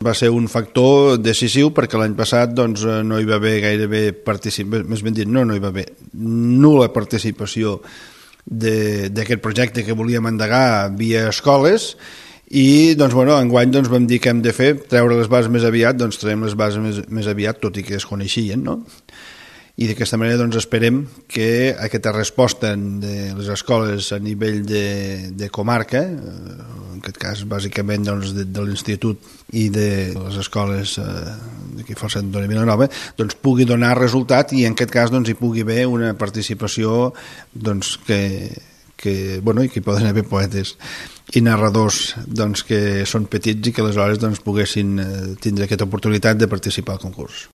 va ser un factor decisiu perquè l'any passat doncs, no hi va haver gairebé participació, més ben dit, no hi va haver nul·la participació d'aquest projecte que volíem endegar via escoles i doncs, bueno, enguany doncs, vam dir que hem de fer, treure les bases més aviat, doncs traiem les bases més aviat, tot i que es coneixien, no? I d'aquesta manera doncs, esperem que aquesta resposta de les escoles a nivell de comarca, en aquest cas bàsicament doncs, de l'institut i de les escoles d'aquí força de Vilanova, doncs, pugui donar resultat i en aquest cas doncs, hi pugui haver una participació doncs, bueno, i que hi poden haver poetes i narradors doncs, que són petits i que aleshores doncs, poguessin tindre aquesta oportunitat de participar al concurs.